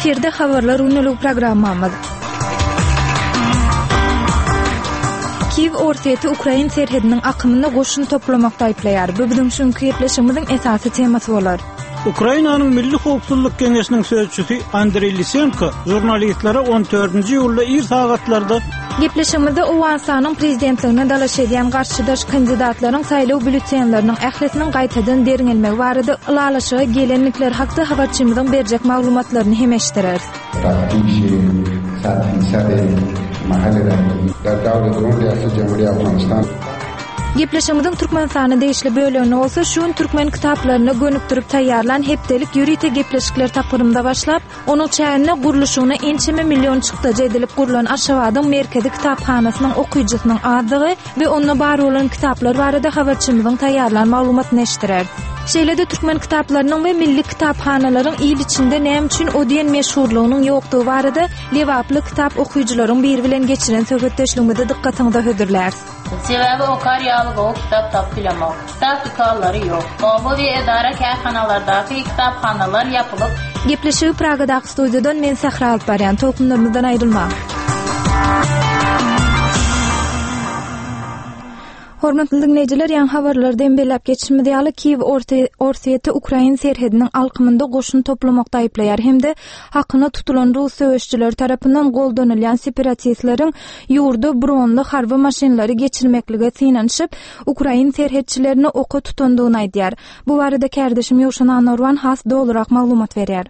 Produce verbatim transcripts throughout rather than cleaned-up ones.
Efirde Habarlar günlük programmamyz. Kiýew Orsýeti Ukrain serhediniň akymynda goşun toplamakda aýyplaýar. Bu biziň şu günki gepleşigimiziň esasy temasy bolar. Ukrainanyň Milli Howpsuzlyk Geňeşiniň sözçüsi Andreý Lisenko žurnalistlere on dördünji iýulda ir sagatlarda Gepleşigimizde Owganystanyň prezidentligine dalaş edýän garşydaş kandidatlaryň saýlaw býulletenleriniň ählisiniň gaýtadan derňelmegi barada ylalaşyga gelenlikleri hakda habarçymyzyň berjek maglumatlaryny hem eşitdireris. تفتیش صد فیصد محل رنگی در دور دوم ریاست جمهوری افغانستان. Gepleşigimiziň Türkmenistana degişli bölegini bolsa şu gün türkmen kitaplaryna gönükdirip taýýarlan hepdelik ýörite gepleşikler tapgyrynda başlap, onuň çäginde gurluşygyna ençeme million çykdajy edilip gurlan Aşgabadyň merkezi kitaphanasynyň okyjysynyň azlygy we onda bar bolan kitaplar barada habarçymyzyň taýýarlan maglumatyny eşitdirer. Şeýle-de türkmen kitaplarynyň we milli kitaphanalaryň il içinde näme üçin o diýen meşhurlygynyň ýokdugy barada Lebaply kitap okyjylaryň biri bilen geçiren söhbetdeşligimizi dykgatyňyza hödürläris. Sebäbi okar ýaly gowy kitap tapyp bilemok. Kitap dükanlary ýok. Oba we edara kärhanalardaky kitaphanalar ýapylyp, Gepleşigi Pragadaky studiýadan men Sähra alyp barýan. Tolkunlarymyzdan aýrylmaň. Hormatly dinleýjiler, ýaňy habarlardan belläp geçişimiz ýaly, Kiýew Orte-, Orsýeti Ukrain serhediniň alkymynda goşun toplamakda aýyplaýar hem-de hakyna tutulan rus söweşçileri tarapyndan goldanylýan separatistleriň ýurda bronly harby maşynlary geçirmeklige synanyşyp, Ukrain serhetçilerini oka tutandygyny aýdýar. Bu barada kärdeşim Ýowşan Anurwan has dolurak maglumat berýär.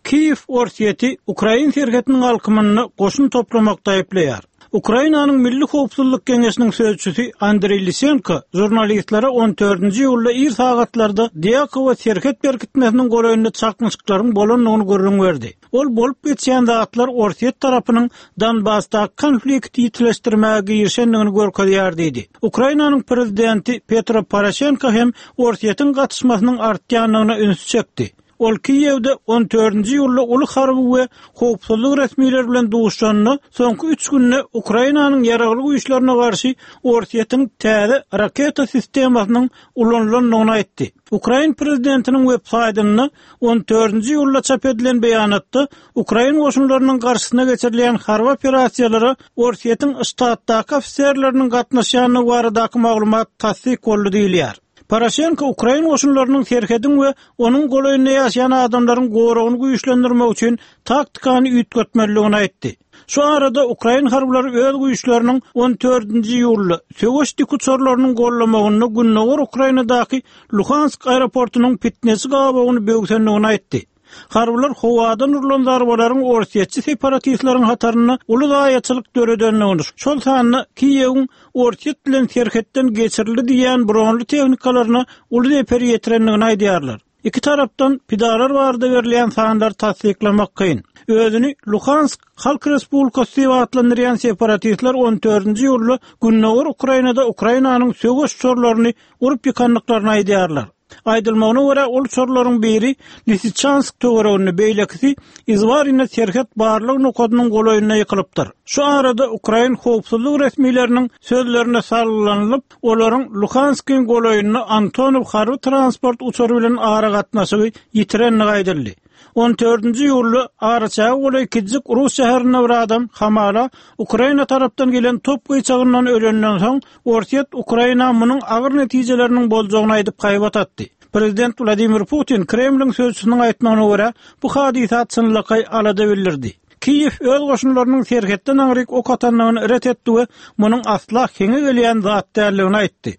Kiýew Orsýeti Ukrain serhediniň alkymynda goşun toplamakda aýyplaýar. Ukrainanyň Milli Howpsuzlyk Geňeşiniň sözçüsi Andreý Lisenko žurnalistlere on dördünji iýulda ir sagatlarda Dýakowa serhet berkitmesiniň golaýynda çaknyşyklaryň bolandygyny gürrüň berdi. Ol bolup geçýän zatlar Orsýet tarapynyň Donbasda konflikti ýitileşdirmäge girişendigini görkezýär diýdi. Ukrainanyň prezidenti Petro Poroşenko hem Orsýetiň gatyşmasynyň artýandygyna üns çekdi. Ol Kiýewde on dördünji iýulda uly harby we howpsuzlyk resmileri bilen duşuşanda soňky üç günde Ukrainanyň ýaragly güýçlerine garşy Orsýetiň täze raketa sistemasynyň ulanylandygyny aýtdy. Ukrain prezidentiniň web saýtynda on dördünji iýulda çap edilen beýanatda Ukrain goşunlarynyň garşysyna geçirilýän harby operasiýalara Orsýetiň ştatdaky ofiserleriniň gatnaşýandygy baradaky maglumat tassyk boldy diýilýär. Poroşenko Ukrain goşunlarynyň serhedin we onuň golaýynda ýaşaýan adamlaryň goragyny güýçlendirmek üçin taktikany üýtgetmelidigini aýtdy. Şu arada Ukrain harbylary öz güýçleriniň on dördünji iýulda söweş dikuçarlarynyň gollamagynda Gündogar Ukrainadaky Luhansk aeroportunyň pitnesi gabagyny böwsendigini aýtdy. Harbylar howadan urlan zarbalaryň orsýetçi separatistleriň hatarynda uly zaýaçylyk döredendigini, şol sanda Kiýewiň Orsýet bilen serhetden geçirildi diýen bronly tehnikalaryna uly zeper ýetirendigini aýdýarlar. Iki tarapdan pidalar barada berilýän sanlar tassyklamak kyn. Özüni Luhansk Halk Respublikasy diýip atlandyrýan separatistler on dördünji iýulda Gündogar Ukrainada Ukrainanyň söweş uçarlaryny urup ýykandyklaryny aýdýarlar. Aýdylmagyna görä, ol uçarlaryň biri Lisiçansk töwereginde, beýlekisi Izwarina serhet barlyk nokadynyň golaýynda ýykylypdyr. Şu arada Ukrain howpsuzlyk resmileriniň sözlerine salgylanyp, olaryň Luhanskyň golaýynda Antonov harby transport uçary bilen aragatnaşygy ýitirendigi aýdyldy. On dördünji iýulda araçagy golaý Kijik Rus şäherinde bir adam hamala Ukraina tarapdan gelen top gyçagyndan ölenden soň Orsýet Ukraina munuň agyr netijeleriniň boljagyny aýdyp haýbat atdy. Prezident Wladimir Putin Kremliň sözçüsiniň aýtmagyna görä bu hadysa çynlakaý alada bildirdi. Kiýew öz goşunlarynyň serhetden aňryk ok atandygyny ret etdi we munuň asla heňe gelýän zat däldigini aýtdy.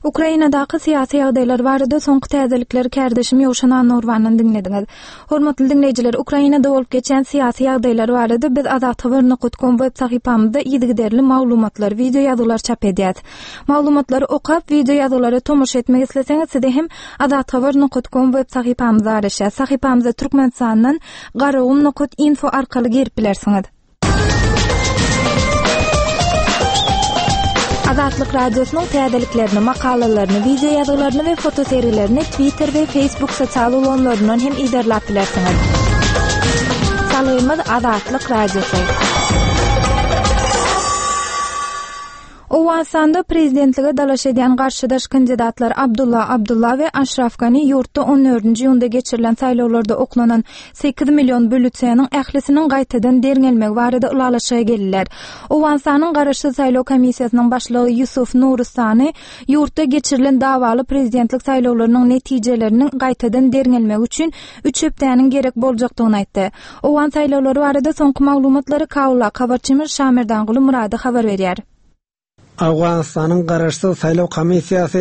Ukrainadaky syýasy ýagdaýlar barada soňky täzelikleri kärdeşim Ýowşan Anurwandan diňlediňiz. Hormatly diňleýjiler, Ukrainada bolup geçen syýasy ýagdaýlar barada biz azathabar nokta com web sahypamyzda yzygiderli maglumatlar, video ýazgylar çap edýäris. Maglumatlary okap, video ýazgylara tomaşa etmek isleseňiz, size hem azathabar nokta com web sahypamyza araşýar. Sahypamyza Türkmenistandan garagum nokta info arkaly girip bilersiňiz. Azatlyk Radiosynyň täzeliklerini, makalalaryny, video ýazgylaryny we fotoserilerini Twitter we Facebook sosial ulgamlaryndan hem izerläp bilersiňiz. Salgymyz Azatlyk Radiosy. Owganystanda prezidentlige dalaş edýän garşydaş kandidatlar Abdulla Abdulla we Aşraf Gani ýurtda on dördünji iýunda geçirilen saýlawlarda oklanan sekiz million bülleteniň ählisiniň gaýtadan derňelmegi barada ylalaşyga geldiler. Owganystanyň Garaşsyz saýlaw komissiýasynyň başlygy Ýusuf Nuristany ýurtda geçirilen dawaly prezidentlik saýlawlarynyň netijeleriniň gaýtadan derňelmegi üçin üç hepdäniň gerek boljakdygyny aýtdy. Owgan saýlawlary barada soňky maglumatlary Kabulda habarçymyz Şamerdanguly Murady habar berýär. Owganystanyň Garaşsyz saýlaw komissiýasy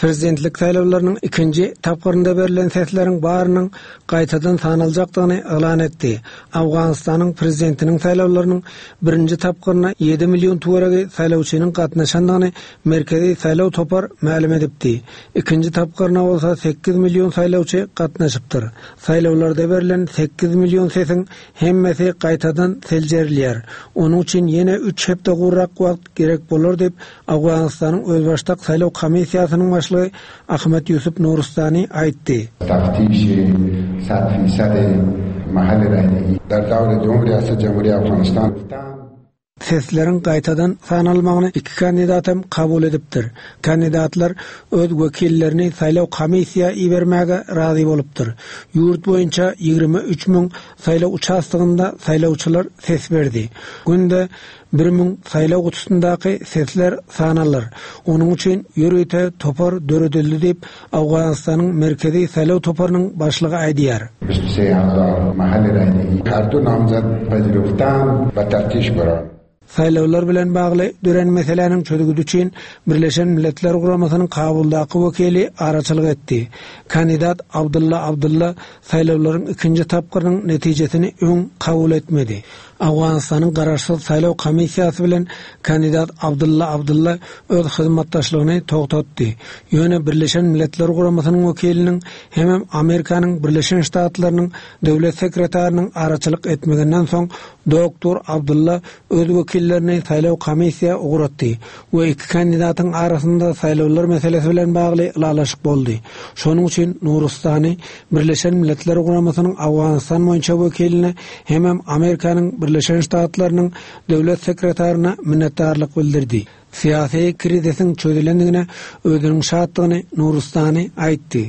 prezidentlik saýlawlarynyň ikinji tapgyrynda berlen sesleriň barynyň gaýtadan sanaljakdygyny yglan etdi. Owganystanyň prezidentiniň saýlawlarynyň birinji tapgyryna ýedi million töweregi saýlawçynyň gatnaşandygyny Merkezi saýlaw topar mälim edipdi. Ikinji tapgyryna bolsa sekiz million saýlawçy gatnaşypdyr. Saýlawlarda berlen sekiz million sesiň hemmesi gaýtadan seljerilýär. Onuň üçin ýene üç hepde gurrak wagt gerek bolar diýip Owganystanyň Özbaşdak saýlaw komissiýasynyň başlygy Ahmet Ýusuf Nuristany aýtdy. Taftiş sat fisad mahal raýdi dar dawr دوم riýasat Jamhuriýa Afganistan Sesleriň gaýtadan sanalmagyny iki kandidat hem kabul edipdir. Kandidatlar öz wekillerini saýlaw komissiýa ibermäge razy bolupdyr. Ýurt boýunça ýigrimi üç müň saýlaw uçastygynda saýlawçylar ses berdi. Günde bir müň saýlaw gutusyndaky sesler sanalar. Onuň üçin ýörite topar döredildi diýip Owganystanyň Merkezi saýlaw toparynyň başlygy aýdýar. Saýlawlar bilen bagly dören meseläniň çözgüdi üçin Birleşen Milletler Guramasynyň Kabuldaky wekili araçylyk etdi. Kandidat Abdulla Abdulla saýlawlaryň ikinji tapgyrynyň netijesini öň kabul etmedi. Owganystanyň Garaşsyz saýlaw komissiýasy bilen kandidat Abdulla Abdulla öz hyzmatdaşlygyny togtatdy. Ýöne Birleşen Milletler Guramasynyň wekiliniň hem Amerikanyň Birleşen Ştatlarynyň döwlet sekretarynyň araçylyk etmeginden soň Doktor Abdulla öz wekillerini saýlaw komissiýa ugratdy we iki kandidatyň arasynda saýlawlar meselesi bilen bagly ylalaşyk boldy. Şonuň üçin Nuristany Birleşen Milletler Guramasynyň Owganystan boýunça wekiline hem Amerikanyň Birleşen Ştatlarynyň döwlet sekretaryna minnetdarlyk bildirdi. Syýasy krizisiň çözülendigine özüniň şatlygyny Nuristany aýtdy.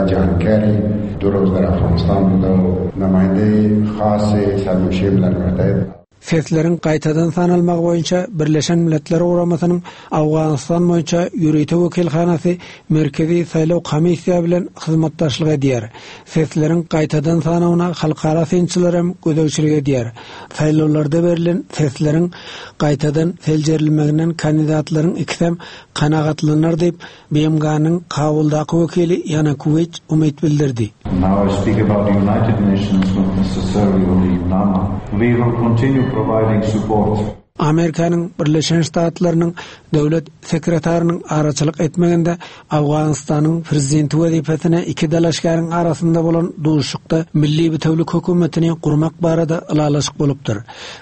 John Kerry dört ýüz Afganistan namaýynda khas Sarmuşi bilen Sesleriň gaýtadan sanalmagy boýunça Birleşen Milletler Guramasynyň Owganystan boýunça ýörite wekilhanasy Merkezi saýlaw komissiýa bilen hyzmatdaşlyk edýär. Sesleriň gaýtadan sanawyna halkara synçylar hem gözegçilik edýär. Saýlawlarda berlen sesleriň gaýtadan seljerilmeginden kandidatlaryň ikisi hem kanagatlanar diýip B M G-nyň Kabuldaky wekili Ýana Kuweýt umyt bildirdi. Now I speak about the United Nations, not necessarily only UNAMA. We will continue providing support. Amerikanyň Birleşen Ştatlarynyň döwlet sekretarynyň araçylyk etmeginde Owganystanyň prezidenti wezipesine iki dalaşgäriň arasynda bolan duşuşykda milli bitewlik hökümetini gurmak barada ylalaşyk bolupdyr.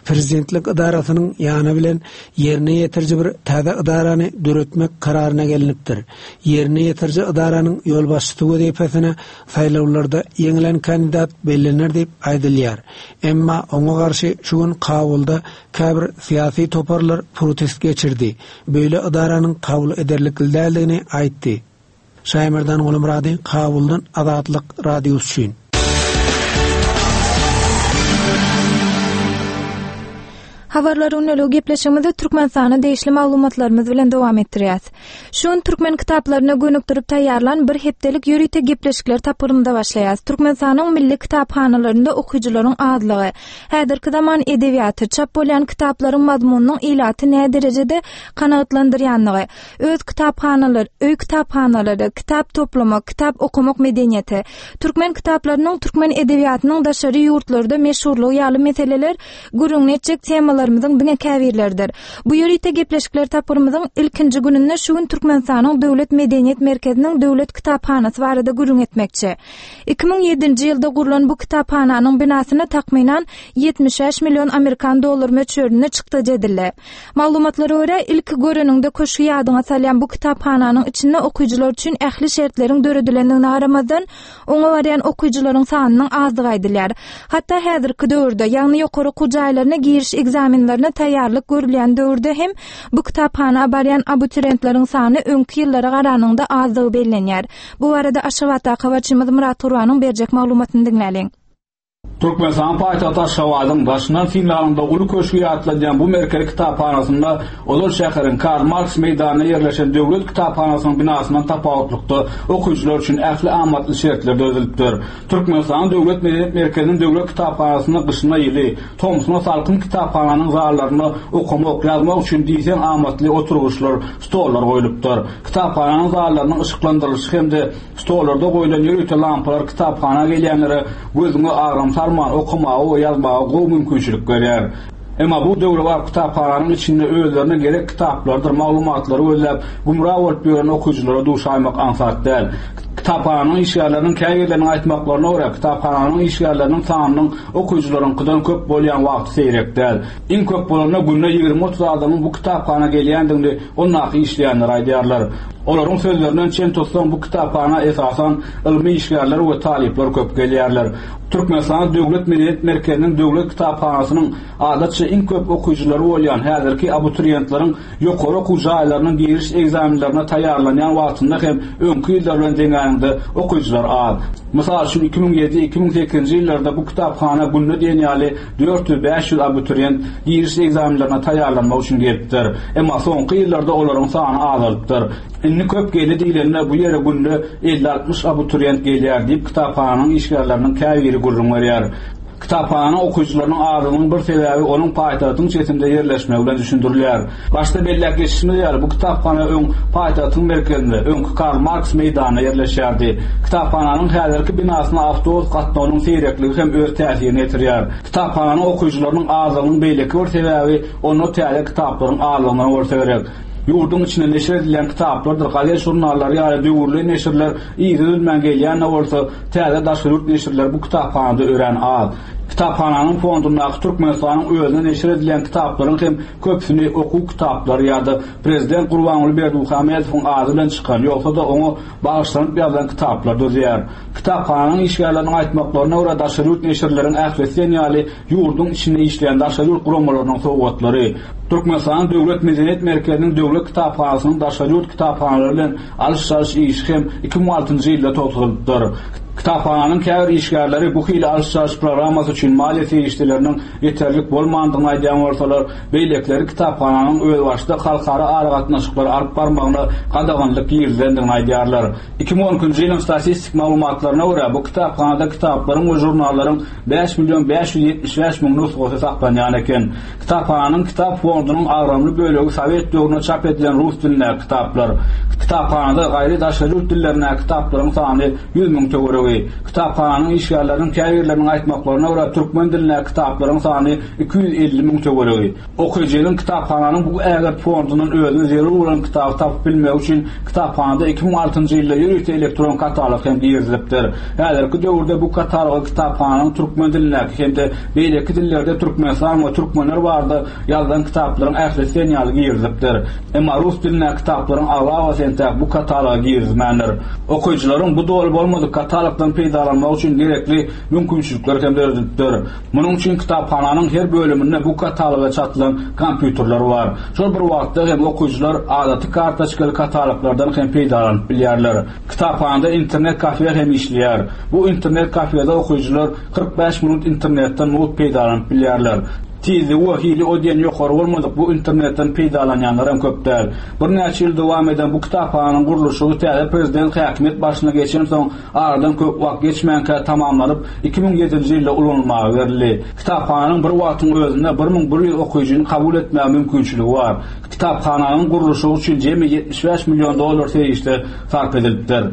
Prezidentlik idarasynyň ýany bilen ýerine ýetiriji bir täze idarany döretmek kararyna gelinipdir. Ýerine ýetiriji idaranyň ýolbaşçysy wezipesine saýlawlarda ýeňilen kandidat bellenir diýip aýdylýar. Emma oňa garşy şu gün Kabulda käbir syýasy toparlar protest geçirdi. Böyle idaranyň kabul ederlikli däldigini aýtdy. Şaýmerdan Gulmurady, Kabuldan Azatlyk Radiosy üçin. Habarlar günlügi gepleşigimizi Türkmenistana degişli maglumatlarymyz bilen dowam etdirýäs. Şu gün türkmen kitaplaryna gönükdirip taýýarlan bir hepdelik ýörite gepleşikler tapgyrymyza başlaýas. Türkmenistanyň milli kitaphanalarynda okyjylaryň azlygy, häzirki zaman edebiýaty, çap bolýan kitaplaryň mazmunynyň ilaty nä derejede kanagatlandyrýanlygy, öz kitaphanalar, öý kitaphanalary, kitap toplamak, kitap okamak medeniýeti, türkmen kitaplarynyň türkmen edebiýatynyň daşary ýurtlarda meşhurlygy ýaly meseleler gürrüňini etjek temalarymyzyň diňe käbirleridir. Bu ýörite gepleşikler tapgyrymyzyň ilkinji gününde şu gün Türkmenistanyň Döwlet Medeniýet Merkeziniň Döwlet Kitaphanasy barada gürrüň etmekçi. Iki müň ýedinji ýylda gurlan bu kitaphananyň binasyna takmynan ýetmiş bäş million Amerikan dollar möçberinde çykdajy edildi. Maglumatlara görä, ilki göreniňde köşgi ýadyňa salýan bu kitaphananyň içinde okyjylar üçin ähli şertleriň döredilendigine garamazdan, oňa barýan okyjylaryň sanynyň azdygy aýdylýar. Hatda häzirki döwürde, ýagny ýokary okuw jaýlaryna giriş egzameni ekzamenlerine taýýarlyk görülýän döwürde hem bu kitaphana barýan abituriýentleriň sany öňki ýyllara garanyňda azdygy bellenýär. Bu barada Aşgabatdaky habarçymyz Murat Gurbanyň berjek maglumatyny diňläliň. Türkmenistan paýtagty Aşgabadyň daşyndan synlanyňda uly köşgi ýatladýan bu merkezi kitaphanasynda ozal şäheriň Karl Marks meýdanynda ýerleşen döwlet kitaphanasynyň binasyndan tapawutlykda okyjylar üçin ähli amatly şertler döredilipdir. Türkmenistan Döwlet Medeniýet Merkeziniň döwlet kitaphanasynda gyşyna ýyly, tomsuna salkyn kitaphananyň zallarynda okamak, ýazmak üçin diýseň amatly oturgyçlar, stollar goýlupdyr. Kitaphananyň zallarynyň yşyklandyrylyşy hem-de stollarda goýlan ýörite lampalar kitaphana gelýänlere gözüňe agram salman okamaga we ýazmaga gowy mümkinçilik berýär. Emma bu döwrebap kitaphananyň içinde özlerine gerek kitaplardyr maglumatlary gözläp gümra bolup ýören okyjylara duşaýmak aňsat däl. Kitaphananyň işgärleriniň käbirleriniň aýtmaklaryna görä, kitaphananyň işgärleriniň sanynyň okyjylaryňkydan köp bolýan wagty seýrek däl. Iň köp bolanda günde ýigrimi otuz adamyň bu kitaphana gelýändigini ondaky işleýänler aýdýarlar. Olaryň sözlerinden çen tutsaň bu kitaphana esasan ylmy işgärler we talyplar köp gelýärler. Türkmenistan Döwlet Medeniýet Merkeziniň döwlet kitaphanasynyň adatça iň köp okyjylary bolýan häzirki abituriýentleriň ýokary okuw jaýlarynyň giriş ekzamenlerine taýýarlanýan wagtynda hem öňki ýyllar bilen deňäniňde okyjylar az. Mysal üçin iki müň ýedi iki müň sekizinji ýyllarda bu kitaphana günde diýen ýaly dört ýüz bäş ýüz abituriýent giriş ekzamenlerine taýýarlanmak üçin gelipdir. Emma soňky ýyllarda olaryň sany azalypdyr. Indi köp geldi diýilende bu ýere günde elli altmyş abituriýent gelýär diýip kitaphananyň işgärleriniň käbiri gürrüň berýär. Kitaphananyň okyjylarynyň azlygynyň bir sebäbi onuň paýtagtyň çetinde ýerleşmegi bilen düşündirilýär. Başda belläp geçişimiz ýaly bu kitaphana öň paýtagtyň merkezinde, öňki Karl Marks meýdanynda ýerleşýärdi. Kitaphananyň häzirki binasyna awtobus gatnawynyň seýrekligi hem öz täsirini ýetirýär. Kitaphananyň okyjylarynyň azlygynyň beýleki bir sebäbi onda täze kitaplaryň azlygyndan bolsa gerek. Ýurduň içinde neşir edilen kitaplardyr, gazet jurnallary ýaly döwürli neşirler yzy üzülmän gelýän bolsa, täze daşary ýurt neşirleri bu kitaphanada örän az. Kitaphananyň fondundaky Türkmenistanyň özüne neşir edilen kitaplaryň hem köpüsini okuw kitaplary ýa-da Prezident Gurbanguly Berdimuhamedowyň ady bilen çykan, ýogsa-da oňa bagyşlanyp ýazylan kitaplar düzýär. Kitaphananyň işgärleriniň aýtmaklaryna görä daşary ýurt neşirleriň ählisi ýaly ýurduň içinde işleýän daşary ýurt guramalarynyň sowgatlary. Türkmenistanyň Döwlet Medeniýet Merkeziniň döwlet kitaphanasynyň daşary ýurt kitaphanalary bilen alyş-çalyş işi hem iki müň altynjy ýylda togtadylypdyr. Kitaphananyň käbir işgärleri bu hili alyş-çalyş programmasy üçin maliýe serişdeleriniň ýeterlik bolmandygyny aýdýan bolsalar, beýlekileri kitaphananyň özbaşdak halkara aragatnaşyklary alyp barmagyna gadaganlyk girizilendigini aýdýarlar. iki müň on ikinji ýylyň statistik maglumatlaryna görä bu kitaphanada kitaplaryň we žurnallaryň bäş million bäş ýüz ýetmiş bäş müň nusgasy saklanýan eken. Kitaphananyň kitap fondunyň agramly bölegi Sowet döwründe çap edilen rus dilindäki kitaplar. Kitaphanada gaýry daşary ýurt dillerindäki kitaplaryň sany ýüz müň töweregi. Kitaphananyň işgärleriniň käbirleriniň aýtmaklaryna görä türkmen dilindäki kitaplaryň sany iki ýüz elli müň töweregi. Okyjynyň kitaphananyň bu ägirt fondundan özüne zerur bolan kitaby tapyp bilmegi üçin kitaphanada iki müň altynjy ýylda ýörite elektron katalog hem girizilipdir. Häzirki döwürde bu kataloga kitaphananyň türkmen dilindäki hem-de beýleki dillerde Türkmenistan we türkmenler barada ýazylan kitaplaryň ählisi ýaly girizilipdir. Emma rus dilindäki kitaplaryň aglabasy entäk bu kataloga girizmändir. Okyjylaryň bu doly bolmadyk katalogdan peýdalanmak üçin gerekli mümkinçilikler hem döredilipdir. Munuň üçin kitaphananyň her bölüminde bu kataloga çatylan kompýuterler bar. Şol bir wagtda hem okyjylar adaty kartoçkaly kataloglardan hem peýdalanyp bilýärler. Kitaphanada internet kafe hem işleýär. Bu internet kafede okyjylar kyrk bäş minut internetden mugt peýdalanyp bilýärler. Tizligi we hili o diýen ýokary bolmadyk bu internetden peýdalanýanlar hem köp däl. Birnäçe ýyl dowam eden bu kitaphananyň gurluşygy täze prezident häkimiýet başyna geçen soň aradan köp wagt geçmänkä tamamlanyp iki müň ýedinji ýylda ulanylmaga berildi. Kitaphananyň bir wagtyň özünde bir müň bir ýüz okyjyny kabul etmäge mümkinçiligi bar. Kitaphananyň gurluşygy üçin jemi ýetmiş bäş million dollar serişde sarp edilipdir.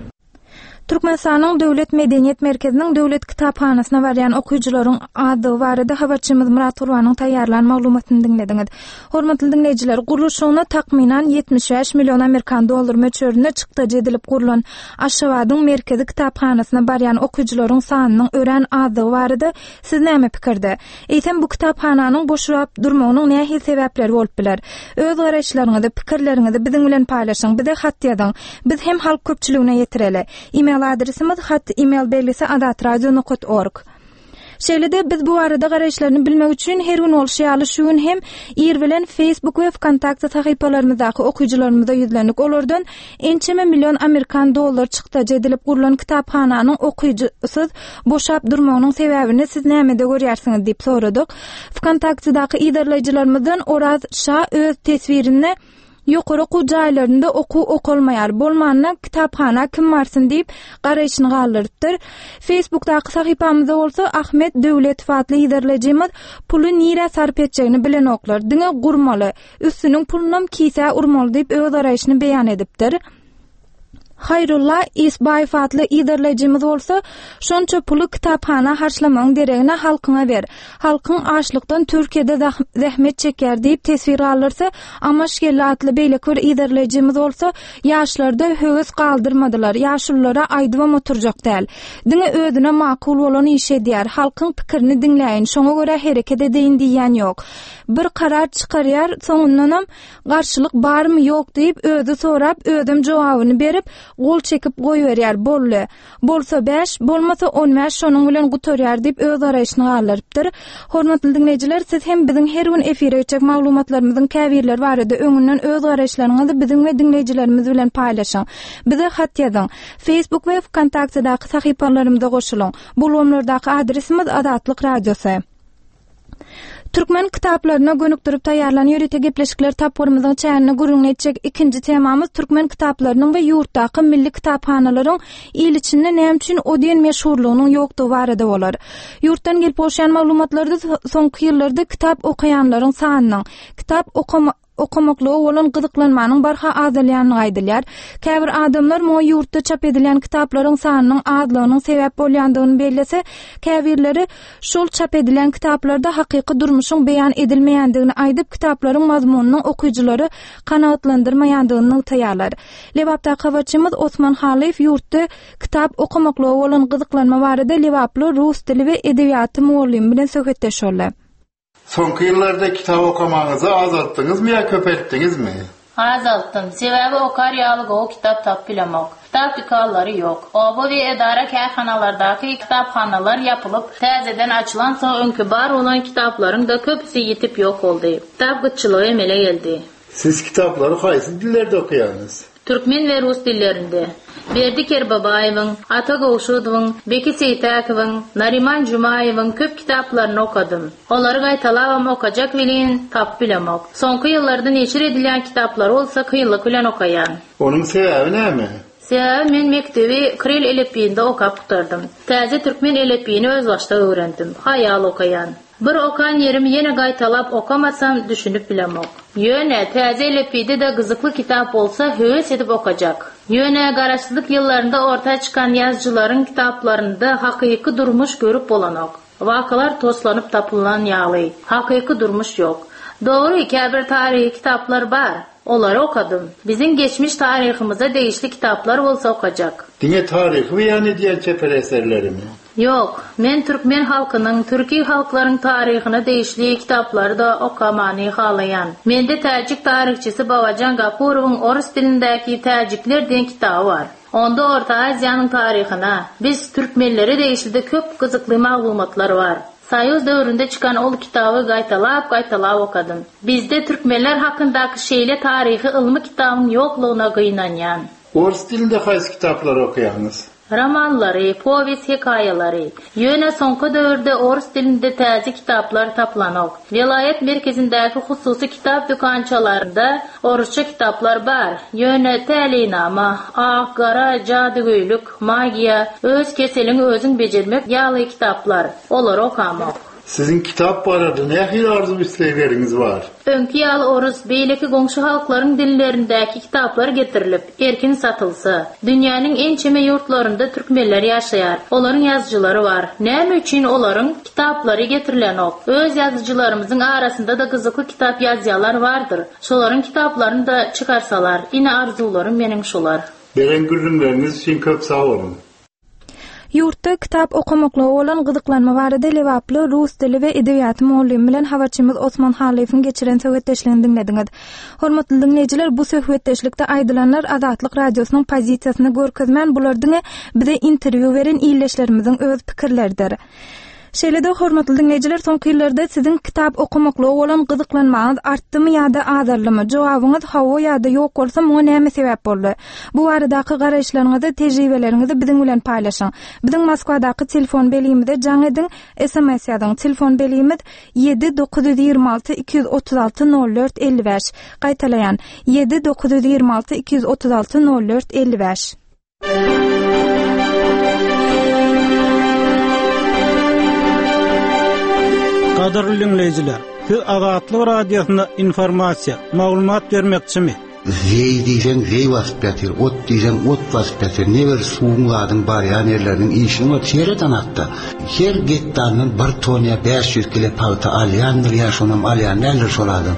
Türkmenistanyň Döwlet Medeniýet Merkeziniň Döwlet Kitaphanasyna barýan okyjylaryň azdygy barada habarçymyz Murat Gurbanyň taýýarlan maglumatyny diňlediňiz. Hormatly diňleýjiler, gurluşygyna takmynan ýetmiş bäş million amerikan dollar möçberinde çykdajy edilip gurlan Aşgabadyň Merkezi Kitaphanasyna barýan okyjylaryň sanynyň örän azdygy barada siz näme pikirde? Eýsem bu kitaphananyň boşlap durmagynyň nähili sebäpleri bolup biler? Öz garaýyşlaryňyzy, pikirleriňizi biziň bilen paýlaşyň, bize hat ýazyň. Biz hem halk köpçüligine ýetireli. E-mail adresimiz hat e-mail belgisi azatradio nokta org. Şeýle-de biz bu barada garaýyşlaryny bilmek üçin her gün bolşy ýaly şu gün hem ir bilen Facebook we VKontakte sahypalarymyzdaky okyjylarymyza ýüzlendik. Olardan ençeme million amerikan dollar çykdajy edilip gurlan kitaphananyň okyjysyz boşap durmagynyň sebäbini siz nämede görýärsiňiz diýip soradyk. VKontaktedaky yzarlaýjylarymyzdan Oraz Şa öz teswirinde ýokary okuw jaýlarynda okuw okalmaýar, bolmanda kitaphana kim barsyn diýip garaýşyny galdyrypdyr. Facebookdaky sahypamyzda bolsa Ahmet Döwletow atly yzarlaýjymyz puly nirä sarp etjegini bilenoklar, diňe gurmaly, üstüniň pulunam kisä urmaly diýip öz garaýşyny beýan edipdir. Haýrullah Isbaýew atly yzarlaýjymyz bolsa şonça puly kitaphana harçlamagyň deregine halkyňa ber. Halkyň açlykdan Türkiýede zähmet çekýär diýip teswir galdyrsa, Amaşgeldi atly beýleki bir yzarlaýjymyz bolsa ýaşlarda höwes galdyrmadylar, ýaşululara aýdybam oturjak däl. Diňe özüne makul bolan iş edýär, halkyň pikirini diňläýin, şoňa görä hereket edeýin diýýän ýok. Bir karar çykarýar, soňundanam garşylyk barmy ýok diýip özi sorap, özüm jogabyny berip, gol çekip goýberýär, boldy. Bolsa bäş, bolmasa on bäş şonuň bilen gutarýar diýip öz garaýşyny galdyrypdyr. Hormatly diňleýjiler, siz hem biziň her gün efire geçjek maglumatlarymyzyň käbirleri barada öňünden öz garaýyşlaryňyzy biziň we diňleýjilerimiz bilen paýlaşyň. Bize hat ýazyň. Facebook we VKontaktedaky sahypalarymyza goşulyň. Bu ulgamlardaky adresimiz Azatlyk Radiosy. Türkmen kitaplaryna gönükdirip taýýarlanan ýörite gepleşikler tapgyrymyzyň çäginde gürrüň etjek ikinji temamyz türkmen kitaplarynyň we ýurtdaky milli kitaphanalaryň il içinde näme üçin o diýen meşhurlygynyň ýokdugy barada bolar. Ýurtdan gelip gowşan maglumatlarda soňky ýyllarda kitap okaýanlaryň sanynyň, kitap okama okamaklyga bolan gyzyklanmanyň barha azalýandygy aýdylýar. Käbir adamlar muňa ýurtda çap edilýän kitaplaryň sanynyň azlygynyň sebäp bolýandygyny bellese, käbirleri şol çap edilen kitaplarda hakyky durmuşyň beýan edilmeýändigini aýdyp, kitaplaryň mazmunynyň okyjylary kanagatlandyrmaýandygyny nygtaýarlar. Lebapdaky habarçymyz Osman Halyýew ýurtda kitap okamaklyga bolan gyzyklanma barada Lebaply rus dili we edebiýaty mugallymy bilen söhbetdeş boldy. Soňky ýyllarda kitap okamaňyzy azaltdyňyzmy ýa köpeltdiňizmi? Azaltdym. Sebäbi okar ýaly gowy kitap tapyp bilemok. Kitap dükanlary ýok. Oba we edara kärhanalardaky kitaphanalar ýapylyp, täzeden açylan soň öňki bar bolan kitaplaryň da köpüsi ýitip ýok boldy. Kitap gytçylygy emele geldi. Siz kitaplary haýsy dillerde okaýaňyz? Türkmen we rus dillerinde. Berdi Kerbabaýewiň, Ata Gowşudowyň, Beki Seýtäkowyň, Nariman Jumaýewiň köp kitaplaryny okadym. Olary gaýtalabam okajak welin tapyp bilemok. Soňky ýyllarda neşir edilýän kitaplary bolsa kynlyk bilen okaýan. Onuň sebäbi näme? Sebäbi men mekdebi Kiril elipbiýinde okap gutardym. Täze türkmen elipbiýini özbaşdak öwrendim. Haýal okaýan. Bir okan ýerimi ýene gaýtalap okamasam düşünip bilemok. Ýöne täze elipbiýde de gyzykly kitap bolsa höwes edip okajak. Ýöne garaşsyzlyk ýyllarynda orta çykan ýazyjylaryň kitaplarynda hakyky durmuş görüp bolanok. Wakalar toslanyp tapylan ýaly, hakyky durmuş ýok. Dogry, käbir taryhy kitaplar bar. Olary okadym. Biziň geçmiş taryhymyza degişli kitaplar bolsa okajak. Diňe taryhy beýan edýän çeper eserlerimi? Ýok, men türkmen halkynyň, türki halklaryň taryhyna degişli kitaplary da okamany halaýan. Mende täjik taryhçysy Babajan Gapurowyň orus dilindäki Täjikler diýen kitaby bar. Onda Orta Aziýanyň taryhyna, biz türkmenlere degişli köp gyzykly maglumatlar bar. Soýuz döwründe çykan ol kitaby gaýtalap-gaýtalap okadym. Bizde türkmenler hakyndaky şeýle taryhy ylmy kitabyň ýoklugyna gynanýan. Orus dilinde haýsy kitaplary okaýaňyz? Romanlary, powest hekaýalary. Ýöne soňky döwürde orus dilinde täze kitaplar tapylanok. Welaýat merkezindäki hususy kitap dükançalarynda orusça kitaplar bar. Ýöne täleýnama, ak, gara, jadygöýlük, magiýa, öz keseliňi özüň bejermek ýaly kitaplar. Olary okamok. Siziň kitap barada nähili arzuw islegleriňiz bar? Öňki ýaly orus beýleki goňşy halklaryň dillerindäki kitaplar getirilip, erkin satylsa, dünýäniň ençeme ýurtlarynda türkmenler ýaşaýar. Olaryň ýazyjylary bar. Näme üçin olaryň kitaplary getirilenok? Öz ýazyjylarymyzyň arasynda da gyzykly kitap ýazýanlar bardyr. Şolaryň kitaplaryny da çykarsalar, ine arzuwlarym meniň şular. Beren gürrüňleriňiz üçin köp sag boluň. Ýurtda kitap okamaklyga bolan gyzyklanma barada Lebaply rus dili we edebiýaty mugallymy bilen habarçymyz Osman Halyýewiň geçiren söhbetdeşligini diňlediňiz. Hormatly diňleýjiler, bu söhbetdeşlikde aýdylanlar Azatlyk Radiosynyň pozisiýasyny görkezmän, bular diňe bize interwýu beren ildeşlerimiziň öz pikirleridir. Şeýle-de hormatly diňleýjiler, soňky ýyllarda siziň kitap okamaklyga bolan gyzyklanmaňyz artdymy ýa-da azaldymy? Jogabyňyz hawa ýa-da ýok bolsa, muňa näme sebäp boldy? Bu baradaky garaýyşlaryňyzy, tejribeleriňizi biziň bilen paýlaşyň. Biziň Moskwadaky telefon belgimize jaň ediň, S M S ýazyň. Telefon belgimiz ýedi dokuz ýüz ýigrimi alty iki ýüz otuz alty nol dört elli bäş. Gaýtalaýan: ýedi dokuz ýüz ýigrimi alty iki ýüz otuz alty nol dört elli bäş. Gadyrly dinleýjiler, siz Azatlyk Radiosyna informasiýa, maglumat bermekçimi? Zeý diýseň zeý basyp ýatyr, ot diýseň ot basyp ýatyr. Ne bir suwuň zadyň barýan ýerleriniň işini bar, seret anakda. Her gektardan bir ton ýa bäş ýüz kilo pagta alýandyr ýa şonam alýan däldir şol adam.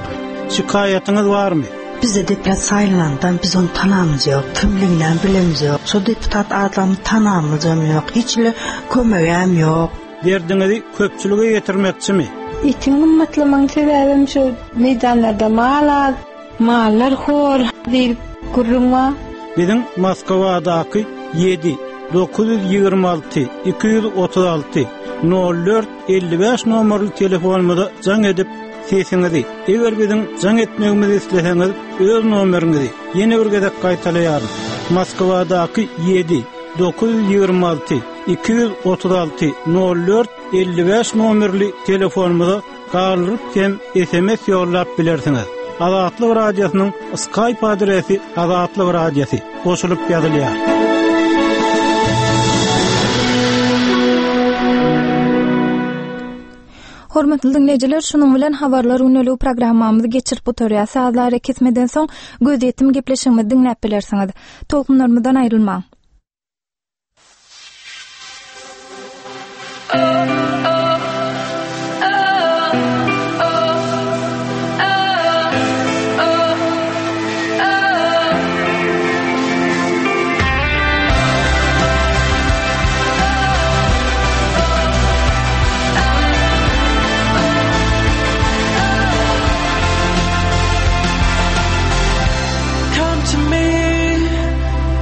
Şikaýatyňyz barmy? Bize deputat saýlandan biz onu tanamyz ýok, kimliginden bilemiz ýok. Şo deputat adamy tanamyzam ýok, hiç le kömegem ýok. Derdiňizi köpçülige ýetirmekçimi? Etiň gymmatlamagyň sebäbim şu meýdanlarda mal az, mallar hor diýip gürrüň bar. Biziň Moskwadaky ýedi dokuz ýüz ýigrimi alty iki ýüz otuz alty nol dört elli bäş nomerli telefonumyza jaň edip sesiňizi, eger biziň jaň etmegimizi isleseňiz, öz nomeriňizi ýene bir gezek gaýtalaýaryn. Moskwadaky ýedi dokuz ýüz ýigrimi alty iki ýüz otuz alty nol dört elli bäş nomerli telefonumyza galdyryp hem S M S ýollap bilersiňiz. Azatlyk Radiosynyň Skype adresi Azatlyk Radiosy goşulyp ýazylýar. Hormatly dinleýjiler, şunuň bilen habarlar günlük programmamyzy geçirip gutarýar. Sazlary kesmeden soň gözýetim gepleşigimizi diňläp bilersiňiz. Tolkunlarymyzdan aýrylmaň. Come to me,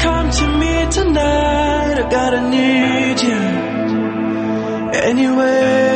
come to me tonight. I gotta need you anyway.